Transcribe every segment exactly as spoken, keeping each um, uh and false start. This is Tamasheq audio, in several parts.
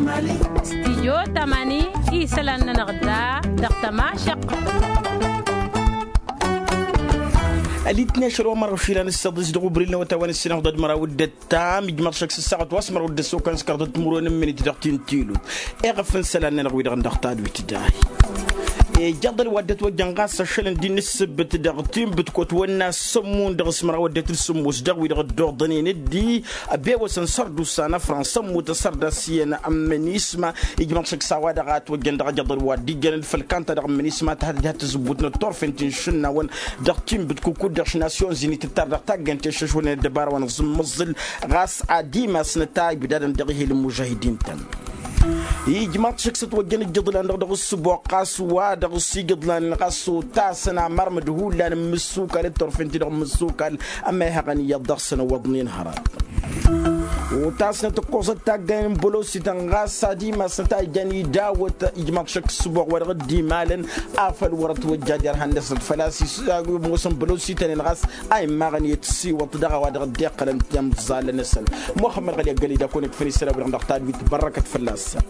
Stijyo tamani isălan-nănăɣ da dăɣ-tămašăqq. Ălitne ašăl wa mărɣăš ilan ǝssăḍis dăɣ-ubril n-awătay wa n-ǝssinăɣ ḍăd măraw d-ăttam ijmăḍ šăkk s-ǝssaɣăt wa s-mărɣăw d-ăssokăn s-kărdăt timǝrwen n-minit dăɣ-tintǝlut. Eɣăf n-isălan-nănăɣ wi-dăɣ n-dăɣ tadwit dahi. Ijăḍăl wa dd-ătwăjjăn ɣas ašăl n-dd-inǝssǝbbǝt dăɣ-tinbǝtkot wănna s-sămmun dăɣ-s măraw ăddinăt d-sǝmmos dăɣ-wi-dăɣ dd-oḍănen dd-abewăsăn sărdusa n-afrans ămmut asărdas iyyăn ămmănisma. Ijmăḍ šăkk s-a-wa-dăɣ a ătwăjjăn dăɣ-ajăḍăl wa dd-ijjăn d-făll-kanta dăɣ-ămmănisma tăhăt dd-ha-tǝzǝbbut n-ăṭṭorfen ti n-išǝnnawăn dăɣ-tinbǝtkukut dăɣ-š nasyon zinit ǝttar dăɣ-taggăyăn teššăšwălnen ăddăbara wa n-aẓǝmmăẓǝl. Ɣas ad-imasnăt a ibdadăn dăɣ-ihil n-mužahidin-tăn. Ijmaḍ šăkk s-ătwăjjăn ǝjjǝḍlan-dăɣ dăɣ-ǝssǝboɣ ɣas wa dăɣ-s ijǝḍlanen ɣas otasăn amărmǝd hullan n-imǝssukal d-turfen-ti-dăɣ n-imǝssukal. Ămehăɣăn iyyăḍ dăɣ-săn ăwwăḍnen hărăt. Otasnăt ǝkkoẓăt taggayen n-bălosităn ɣas ad-imasnăt a ijan idawăt ijmaḍ šăkk ǝssǝboɣ wa dăɣ-dd-imalăn. Afăl wăr-ătwăjja derhan-năsnăt făl-a-s imoosăn bălosităn-en ɣas a immaɣăn i-tǝssiwăḍ dăɣ-a-wa dăɣ-dd-iqqălăn timẓalăn-năsăn. Muxămmăd ɣăli ăggălăy d-akăwăn-ikfăn isălan-wi-dăɣ dăɣ-tadwit bărrăkăt fălla-săn.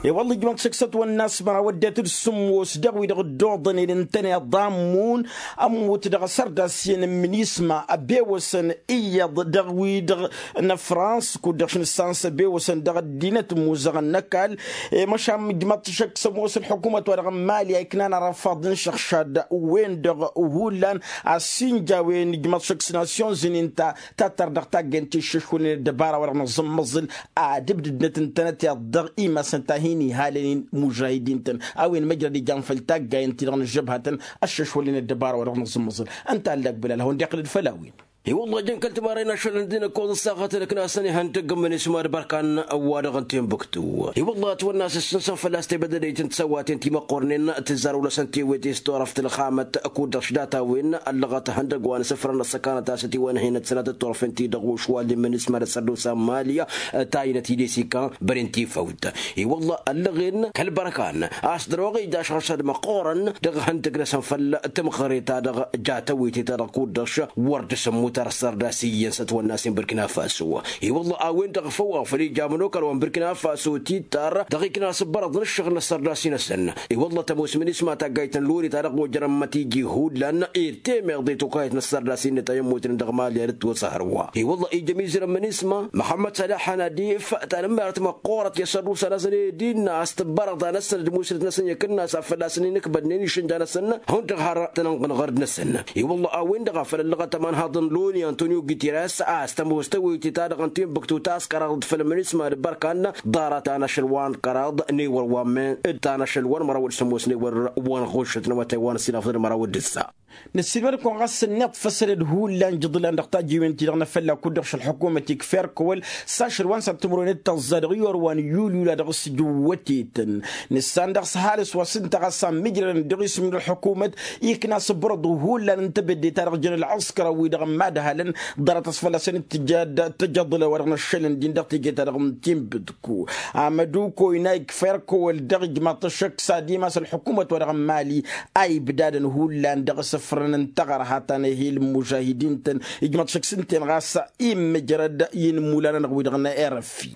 I-wălla ijmăḍ šăkk s-ătwănna a-s măraw ăddinăt d-sǝmmos dăɣ-wi-dăɣ dd-oḍănen ǝntăneḍ a ămmun ămmut dăɣ-asărdas iyyăn n-minisma ăbewăsăn iyyăḍ dăɣ-wi-dăɣ n-afrans kud-dăɣ-š nǝssan s-ăbewăsăn dăɣ-ăddinăt ămmuzăɣăn n-ăkall. I-măšan ijmăḍ-t šăkk s-ămoos ălḥukumăt wa dăɣ-n mali a iknan arăfaḍ n-išăxšad win-dăɣ hullan. Assinja a-wen ijmăḍ šăkk s-nasyon zǝnin ta tattăr dăɣ-taggăyăn ti ǝššǝšwălnen ăddăbara wa dăɣ-nǝẓǝmmăẓǝl ad-ǝbdǝdnăt ǝntănăt iyyăḍ dăɣ-imasăn ta hin-ihalăn-in mužahidin-tăn. A-wen măjrăd ijan făll-taggayăn-ti-dăɣ n-ăžžăbhatăn ăššăšwălnen ăddăbara wa dăɣ-nǝẓǝmmăẓǝl. Ǝnta a ăllak bǝlal a hawăn-dd-iqqǝlăd făll-a-wen. I-wălla ăjăn kăl-timarre n-ašăl n-dd-inăkkoẓ ăssaɣăt ălăknas n-ihăndăgg n-imǝnisma d-bărkan wa dăɣ-n timbuktu. I-wălla ătwănna a-s ǝssǝnsăn fălla-s tebădădăyt n-tisăwaten timăqqornen tǝzzar wăla s-ăntiwet i-s turăft ălxamăt kud-dăɣ š-data-wen ăllăɣăt ihăndăgg wa n-asǝfrăn ăssăkanăt a-s ătiwănhăynăt sănatăt turfen-ti-dăɣ ušwal n-imǝnisma d-asărdusa n-mali. Tayinăt idis ikkan băren tifăwt. I-wălla ăllăɣen kăl-bărkan a-s dăr-oɣija ašăɣ s-ad-măqqorăn dăɣ-ihăndăgg-năsăn făll-tǝmɣăre-ta-dăɣ ja tawete-ta-dăɣ kud-dăɣ š-wăr dd-sǝmmut ar s-ărdas iyyăn s-ătwănna a-s inbǝrkina faso. I-wălla a-wen-dăɣ făw-aɣ făl ija ămănokal wa n-bǝrkina faso tittar dăɣ-ikna s-ǝbbărăḍ n-ǝššăɣǝl n-ăssărdas-i-năsăn. I-wălla tămoos minisma taggayt n-loni ta dăɣ-wăjrăn mătiji hullan ir temeḍe tokayăt n-ăssărdas-i-net a i-ămmutnen dăɣ-mali ad-dd-twăsăhărwa. I-wălla ija ămizăr n-minisma măxămmăd sălăh hanadif ta n-ămmerăt măqqoorăt i-ăssărdusa-năsăn i-dd-inna a-s tǝbbărăḍ a-năsăn d-musǝlăt-năsăn i-akǝnnas a fălla-săn inǝkbădnen išǝnja-năsăn. Hundăɣ har tăn-ănɣǝnɣăr-dd-năsăn. I-wălla a-wen-dăɣ a făl ăllăɣăt ămanhaḍ n-loni antonio gutirres a-s tămoos tăwăyte-ta-dăɣ n-tinbǝktu taskăraḍt făll-minisma d-bărkan ḍarăt ta n-ašăl wa n-kăraḍ n-ewăr wa n-men d-ta n-ašăl wa n-măraw d-sămoos n-ewăr wa n-ɣušăt n-awătay wa n-ăsinafăḍăn măraw d-ǝssa. Năssiilmăd-kăwăn ɣas ănniḍ făssălăd hullan jǝḍlan dăɣ-tajiwen-ti-dăɣ n-afălla kud-dăɣ šălxukumăt ikfa erkăwăl s-ašăl wa n-săr timǝrwen d-tăẓẓa dăɣ-iwăr wa n-iyyul iyyul a dăɣ-s jǝwwătetăn. Nǝssan dăɣ-s ăhalǝs wa s-ǝnta ɣas a ămmijrădăn dăɣ-isǝm n-ălḥukumăt ikna s-ǝbrăḍ hullan n-tebădde-ta-dăɣ jăn ălɣǝskăr a-wi-dăɣ n-imadhalăn. Ḍarăt a-s fălla-săn d-tǝjăḍlăw wa dăɣ-năššălăn din dăɣ-teje-ta-dăɣ n-tinbǝdku amăduko ina ikfa erkăwăl dăɣ-ijmaḍ-t ăššăk s-ad-imas ălḥukumăt wa dăɣ-n mali a ibdadăn hullan dăɣ-asǝfrăn n-taɣărha ta n-ehil n-mužahidin-tăn. Ijmaḍ-t šăkk s-ǝnta-en ɣas immǝjrăd i-inǝmmulan-anăɣ-wi-dăɣ n-erăfi.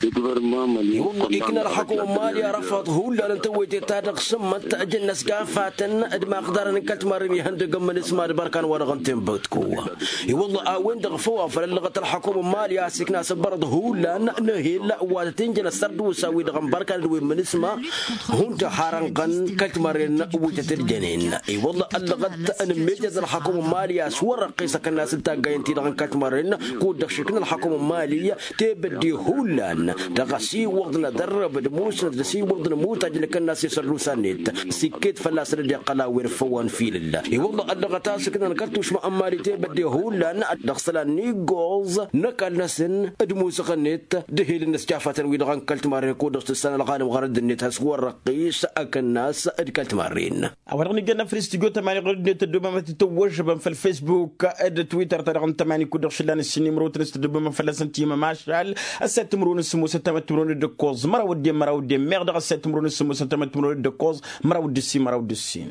I-wălla ikna ălxakum n-mali arăfaḍ hullan n-tewăytet-ta-dăɣ s-ǝmmăt ǝjǝnnăs gafatăn d-imaxdarăn n-kăl-timarren ihăndăgg n-imǝnisma d-bărkan wa dăɣ-n tinbǝtku. I-wălla a-wen-dăɣ făw a făl ăllăɣăt ălxakum n-mali a-s ikna s-ǝbbărăḍ hullan n-ehil wa tăt-injăn ăssărdusa-wi-dăɣ n-bărkan d-wi n-imǝnisma. Hundăɣ har ănɣăn kăl-timarren wi tăt-ăljanen. I-wălla ăllăɣăt n-ǝmmejăd ălxakum n-mali a-s wăr-ăqqes akănnas n-taggayăn-ti-dăɣ n-kăl-timarren kud-dăɣ šikna ălxakum n-mali tebădde hullan dăɣ-asiwăḍ n-adărrăb d-musnăt d-asiwăḍ n-imutaj n-akănnas i-sărdusa-net. S-ikket fălla-săn dd-iqqăl a-wen făw wa n-filǝlla i-wălla ăllăɣăt a-s ǝknan kăl-tušma n-mali tebădde hullan dăɣ-isălan n-iggoẓ n-ăkall-năsăn d-imusăɣ-net d-ehel-net jafatăn-wi-dăɣ n-kăl-timarren kud-dăɣ s-tǝssan ălɣanem ɣărădd-net has-wăr-răqqis akănnas d-kăl-timarren. A-wa-dăɣ n-ijăn afăl s-tijo tămani ɣărădd-net ăddoobamăt itawăžžăbăn făll-facebook d-twitter-ta-dăɣ n-tămani kud-dăɣ šǝllan ǝssin imrăwăt n-s tăddoobamăt fălla-săn timămašal. Ăssayăt timrăwăn s-sǝmmosăt tamăt timrăwăn d-ǝkkoẓ măraw ăddin măraw ăddin meɣ dăɣ-ăssayăt timrăwăn s-sǝmmosăt tamăt timrăwăn d-ǝkkoẓ măraw d-ǝssin măraw d-ǝssin.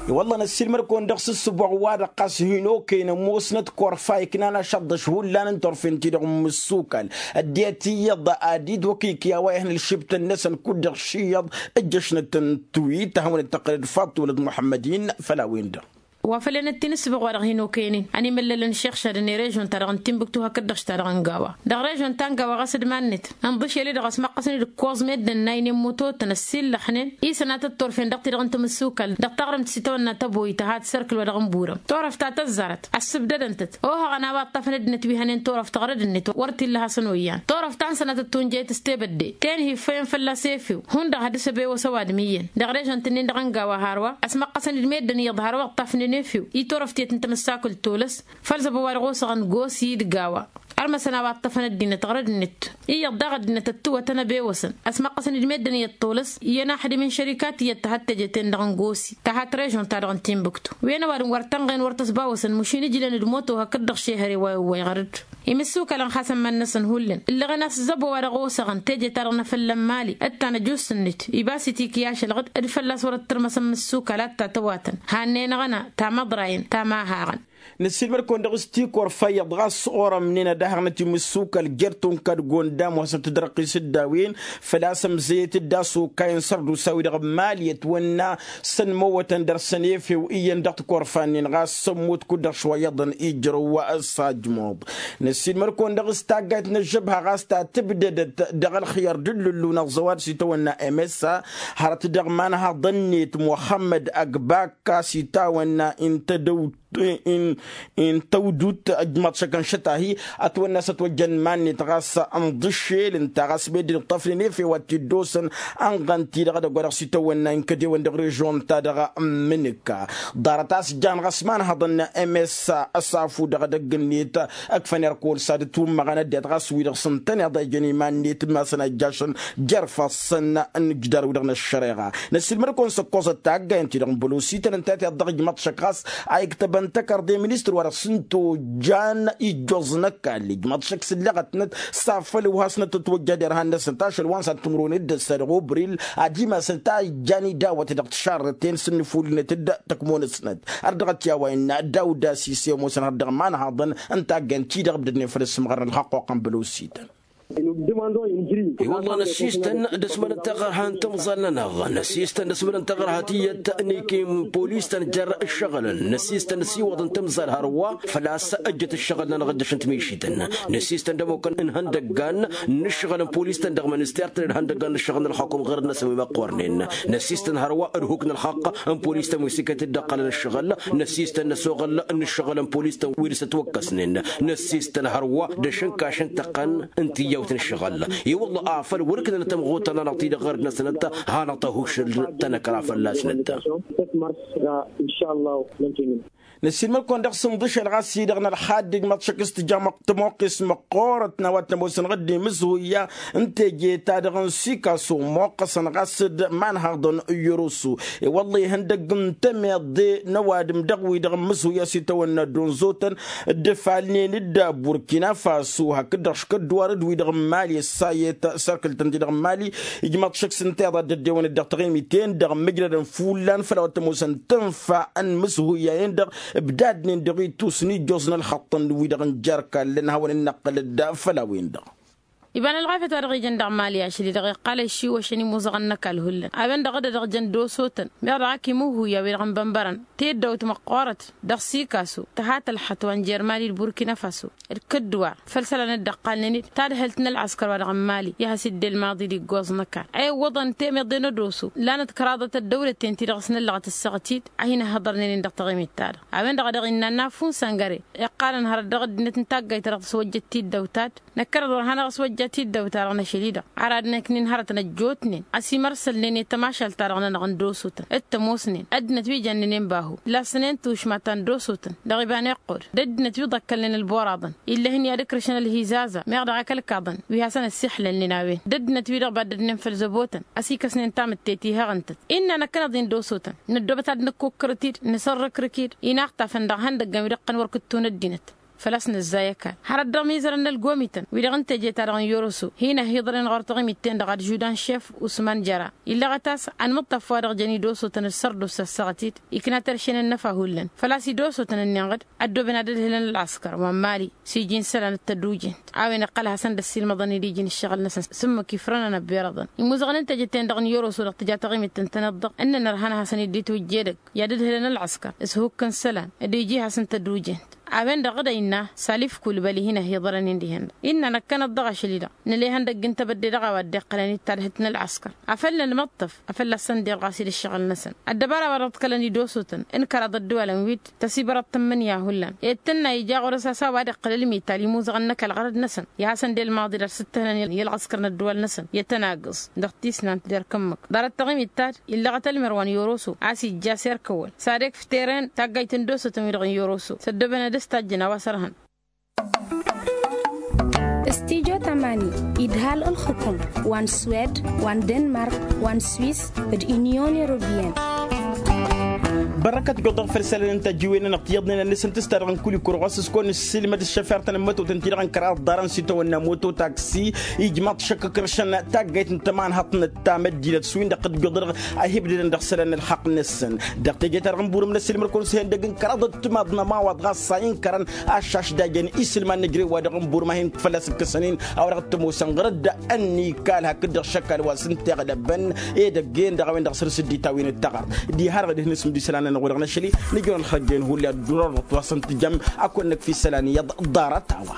I-wălla năssiilmăd-kăwăn dăɣ-s ǝssǝboɣ-wa-dăɣ ɣas hin-okăyăn ămoosnăt korfa iknan ašăḍḍăš hullan n-turfen-ti-dăɣ n-imǝssukal. Ăddinăt iyyăḍ ad-dd-wăkikǝy a-wa ihăn ǝlšǝbtăn-năsăn kud-dăɣ ši iyyăḍ. Ǝjjăšnăt n-tiwit ad-hawăn-dd-tăqqǝlăd faḍt wălăt muḥămmăd-in făll-a-wen-dăɣ. Wa făl enăt-t-inǝssǝboɣ wa-dăɣ hin-okăyăn-in ănimăllălăn šixšad n-erežon-ta-dăɣ n-tinbǝktu hakd-dăɣ š-ta-dăɣ n-gawa. Dăɣ-režon ta n-gawa ɣas d-mannăt ǝnḍǝšel-i-dăɣ ăsmăqqăsăn-dd ǝkkoẓ meddǝn n-aynen mutotăn ăssiillăxnen isănatăt turfen dăɣ-ti-dăɣ n-timǝssukal dăɣ-taɣrǝmt s-itawănna tăboyt tăha tisărkǝl wa dăɣ-n burăm. Turăft ta tăzzarăt ăssǝbdădăn-tăt oha ăɣăna wa ǝṭṭafăn ăddinăt wi hănen turăft ăɣrăd-net wăr t-illa hasăn-oyyan turăft ta n-sănatăt tunjăyăt s-tebădde ten hi-iffăyăn fălla-s efew hundăɣ had-dăɣ-s ăbewăs ăwadǝm iyyăn. Dăɣ-režăn-t-nin-dăɣ n-gawa hărwa ăsmăqqăsăn-dd meddǝn iyyăḍ hărwa ǝṭṭafnen efew i-turăft tiyyăt n-timǝssakǝlt tolăs. Făll-zăbo wa dăɣ-osăɣăn gosi d-gawa ărmăsăn a-wa ǝṭṭăfăn ăddinăt ɣărăd-net. Iyyăḍ daɣ ăddinăt ăttǝwătăn ăbewăsăn ăsmăqqăsăn-dd meddǝn iyyăḍ tolăs. Iyyăn axdǝm n-šărika tiyyăt tăhăt teje-ten-dăɣ n-gosi tăhat režon-ta-dăɣ n-tinbǝktu. Wen ăwadǝm wăr tănɣen wăr tăsbawăsăn mašin ǝjlăn-dd moto hakd-dăɣ šehăre wa iwwăy ɣărăd. Imǝssukălăn xasăn iman-năsăn hullan ǝllăɣen a-s zăbo wa dăɣ-osăɣăn teje-ta-dăɣ n-afălla n-mali ǝttan ăjus-net ibas-it ikǝy ašălɣǝd d-fălla-s wăr ăttărmăsăn imǝssukal ad-tatăwatăn. Hannen-aɣăna tamăḍrayăn tamahaɣăn. Năssiilmăd-kăwăn dăɣ-s tikorfa iyyăḍ ɣas orămnen ad-dăhăɣnăt imǝssukal jer-tunka d-gondam wa s-ăttădrăqqis dd-a-wen făl-a-s ămzăyăt-dd a-s okayăn sărdusa-wi-dăɣ n-mali ătwănna s-ănmăwătăn dăr-săn efew iyyăn dăɣ-tikorfa-nin ɣas s-ămmut kud-dăɣ šwa iyyăḍăn ijrăw. S-ajmuḍ năssiilmăd-kăwăn dăɣ-s taggayt n-ăžžăbha ɣas ta tǝbdădăt dăɣ-ălxiyăr d-ǝllǝllu n-aẓăwad s-itawănna msa hărăt dăɣ-imanhaḍăn-net muxămmăd ăgbakka s-itawănna intădăwt intăwdut ăjmaḍ šăkăn šăt-ahi. Ătwănna s-ătwăjjăn iman-net ɣas ǝnḍǝššel ǝnta ɣas meddǝn ǝṭṭăfnen efew ad-t-dd-osăn ănɣăn-t-i-dăɣ edăgg wa dăɣ-s itawănna inkădewăn dăɣ-režon-ta-dăɣ n-imǝnǝkka. Ḍarăt a-s jan ɣas imanhăḍăn n-msa ăsafu dăɣ-edăgg-net ǝkfăn irkol s-ad-ǝtwǝmmăɣăn ăddinăt ɣas wi-dăɣ s-ǝntăneḍ a ijăn iman-net imasăn a ijjašăn jer-ifassăn n-ijdar-wi-dăɣ n-ăššăreɣa. Năssiilmăd-kăwăn s-ǝkkoẓăt taggayăn-ti-dăɣ n-bălosităn ǝnta a t-iḍăɣ ijmăḍ šăkk ɣas a iktăbăn tăkărdey ministăr wa dăɣ-s n-tojan ijjoẓ n-ăkall ijmăḍ šăkk s-ǝllăɣătnăt s-afăl ǝwhasnăt ătwăjja derhan-năsnăt ašăl wa n-săn timǝrwen d-ăssa dăɣ-obril ad-imasăn ta ijjan idawăt dăɣ-tišarrăten s-ǝnnǝfulnăt d-tăkmo-năsnăt. Ărdăɣăt i-a-wa innă dawda sise ămoosăn har dăɣ-imanhaḍăn n-taggayăn-ti-dăɣ ǝbdădnen făll-ăssǝmɣărăn ălxaqq wa qqăn bălosităn. I-wălla năsistăn d-asmălăn taɣărha n-timẓal-nănăɣ năsistăn d-asmălăn taɣărha tiyyăt n-ikim polis-tăn jer-ǝššăɣǝlăn năsistăn ăsiwăḍăn timẓal hărwa făl-a-s ăjjăt ǝššăɣǝl-nănăɣ ǝjjăšăn timeši-tăn. Năsistăn d-ămokăn n-ihăndăggan n-ǝššăɣǝl n-polis-tăn dăɣ-minister-tăn d-ihăndăggan n-ǝššăɣǝl n-ălxakum ɣur-năsăn wi măqqornen. Năsistăn hărwa d-huk n-ălxaqq n-polis-tăn wi s-iket-dd ǝqqălăn ǝššăɣǝl. Năsistăn n-ăsoɣăl n-ǝššăɣǝl n-polis-tăn wi dăr-s ătwăkkăsnen. Năsistăn hărwa d-ašǝnkaš n-tăqqăn n-tiyyawt n-ǝššăɣǝl. I-wălla afăl wăr ǝknănăt ămɣutăn-anăɣ-ti-dăɣ ɣărd-năsnăt hanăɣ-tăhušǝl tănăkra fălla-snăt. Năssiilmăd-kăwăn dăɣ-s ǝnḍǝšel ɣas-i-dăɣ n-ălxadd ijmăḍ šăkk s-tǝja tămoqqes măqqoorăt n-a-wa t-ămoosăn ɣǝdden imǝzhuyya n-teje-ta-dăɣ n-sikaso ămmoqqăsăn ɣas d-imanhaḍăn. Iyyăr osu i-wălla ihăndăgg n-temeḍe n-ăwadǝm dăɣ-wi-dăɣ n-imǝzhuyya s-itawănna dd-onzotăn dd-ǝfalnen d-burkina faso hakd-dăɣ škădduwar d-wi-dăɣ n-mali ăssayet sărkǝl-tăn-ti-dăɣ n-mali. Ijmăḍ šăkk s-ǝnta iḍa dd-ăddewăn-dd dăɣ-taɣimit-en-dăɣ mǝjrădăn fullan făll-a-wa t-ămoosăn tǝnfa n-imǝzhuyya-en-dăɣ ǝbdadnen dăɣ-itus n-ijjoẓ n-ălxăṭṭăn wi-dăɣ n-jer-kallăn hawăn-dd-năqqǝlăd făll-a-wen-dăɣ. Iba n-ălɣafyăt wa dăɣ-ijăn dăɣ-mali ašăl-i-dăɣ iqqal ăššiwăšăn imuzăɣăn n-ăkall hullan a-wen-dăɣ dd-edăɣ jăn d-osotăn meɣ dăɣ-ak imuhuya wi-dăɣ n-bănbărăn tiddăwt măqqoorăt dăɣ-sikaso tăha tălxăt wa n-jer-mali d-burkina faso d-kǝddǝwar făll-isălan dd-ăqqalnen-dd tadhǝlt n-ălɣăskăr wa dăɣ-n mali i-ad-has-idde ălmaḍi d-iggoẓ n-ăkall a iwwăḍăn temeḍe n-ădoso. Lanăt kăraḍăt ăddăwlăten-ti-dăɣ s-năllăɣăt ǝssaɣăt-dd ad-hin-ăhhăḍărnen-in dăɣ-taɣimit-ta-dăɣ a-wen-dăɣ a dăɣ-innă ănna fun săngăre iqqalăn hărăt dăɣ-ăddinăt n-taggayt-ta-dăɣ tăswăjjăt tiddăwt-ta-dd năkkăneḍ wăr hanăɣ-ăswăjja tiddăwt-ta-dăɣ n-ašăl-i-dăɣ. Ar ad-năknin hărătăn ăjjootnen ăsimărsălnen i-tamašalt-ta-dăɣ-nănăɣ n-dosotăn d-tămoosnen ăddinăt wi jănnănen bahu d-lassănen tušma ta n-dosotăn dăɣ-iba n-iqqud d-ăddinăt wi ḍăkkălnen ălboraḍăn ill'-ehăn i-ad-ǝkrǝšăn ălhizaza meɣ dăɣ-ak ălkaḍăn wi hasăn-ăssiixlălnen a-wen d-ăddinăt wi-dăɣ baddădnen făll-zăbotăn ăsikăsnen tamǝtte tihăɣ ǝntăt. Innă năkkăneḍ-in dosotăn năddoobăt ad-nǝkkukkărăt-dd nǝsărrǝkrǝk-dd inaɣtafăn dăɣ-ihăndăggăn wi dăɣ-tăn wăr kǝtton ăddinăt. făl-a-s nǝzzay ăkall hărăt dăɣ-mizărăn n-ălgomităn wi-dăɣ n-teje-ta-dăɣ n-yoroso hin-ăhiḍălăn ɣur-taɣimit-ten-dăɣ ad-žudan šef usman jăra. Illăɣăt a-s anmǝṭṭaf wa-dăɣ jăn idosotăn d-sărdusa ăssaɣăt-dd ikna terše n-ănnăfa hullan făl-a-s idosotăn-ǝnnin ɣǝd ăddooben ad-ădhǝlăn ălɣăskăr wa n-mali s-iji n-isălan d-tădujent a-wen iqqăl hasăn-dd-ăssiilmăḍăn-dd iji n-ǝššăɣǝl-năsăn s-ǝmmǝk ifrănăn ăbbirăḍăn imuzăɣăn n-teje-ten-dăɣ n-yoroso dăɣ-tǝja taɣimit tăn-tăneḍ-dăɣ ǝnnăn ărhan hasăn-dd-itwǝjje edăgg i-ad-ǝdhǝlăn ălɣăskăr s-ihukk n-isălan d-iji hasăn-tădujent. A-wen-dăɣ ɣǝd a innă salif kulbăli hin-ăhiḍărăn-in dihen-dăɣ innă năkkăneḍ dăɣ-ašăl-i-dăɣ nǝla ihăndăgg n-tebădde dăɣ-a-wa dd-iqqălăn d-tadhǝlt n-ălɣăskăr afăl nănmăṭṭăf afăl a-s săn-dd-ilɣas-dd ǝššăɣǝl-năsăn. Ăddăbara wa dăɣ-t kălăn idosotăn n-kăraḍ ăddăwalăn wi-dd tăsibărăḍ tǝmmǝnǝya hullan ed tǝnna ija ɣur-s a-s a-wa dd-iqqăl ălmital imuzăɣăn n-ăkall ɣărăd-năsăn i-ad-hasăn-dd-ilmaḍ-dd ad-sǝttăhǝlăn i-ălɣăskăr n-ăddăwal-năsăn i-ad-tăn-agǝẓ dăɣ-tisnant d-erk ǝmmǝk ḍarăt taɣimit ta-dd illăɣăt ălmărwa n-yoroso a-s ijja s-erk ăwwăl s-ad-ekf teren taggayt n-idosotăn-wi-dăɣ n-yoroso s-ăddooben ad-ăstajjăn a-wa s-ărhăn. Studyo tamani idhal ǝlxǝkum wa n-swed wa n-denmark wa n-swis d-unyon europeyăn. Bărăkăt goḍăɣ făll-isălan n-tăjjiwen-nănăɣ tiyyăḍnen ad-nǝsǝntǝs ta dăɣ-n kul-ikur ɣas s-kăwăn-nǝssilmăd ǝššăfert n-ămmătotăn-ti-dăɣ n-kăraḍ ḍarăn s-itawănna moto taksi ijmaḍ šăkkăkăršăn taggayt n-tămanhăḍt n-ăttam ăddinăt s-win-dăɣ t-dd-goḍăɣ. Ahibdădăn dăɣ-isălan n-ălxaqq-năsăn dăɣ-teje-ta-dăɣ n-burǝm n-ăsilmăd-kăwăn s-ihăndăgg n-kăraḍăt timaḍ n-ămawaḍ ɣas a inkărăn ašaš d-ajăn isǝlman n-ejrew wa dăɣ-n burǝm a hin-fălla-s ǝkkăsăn-in a-wa dăɣ-t-ămoosăn ɣǝrǝd. Ănnikal hakd-dăɣ šăkk a-wa s-ǝnta iɣlăbăn edăgg-en dăɣ-a-wen-dăɣ săr-s dd-itawǝyăn d-taɣart diha-dăɣ d-hin-asǝmd isălan-nănăɣ wa dăɣ-năšăl-i nǝjrăwăn xărjăyăn hulli ad-dd-urăr dăɣ-t wa s-ǝntǝjăm. Ad-kăwăn-năkf isălan iyyăḍ ḍarăt a-wa.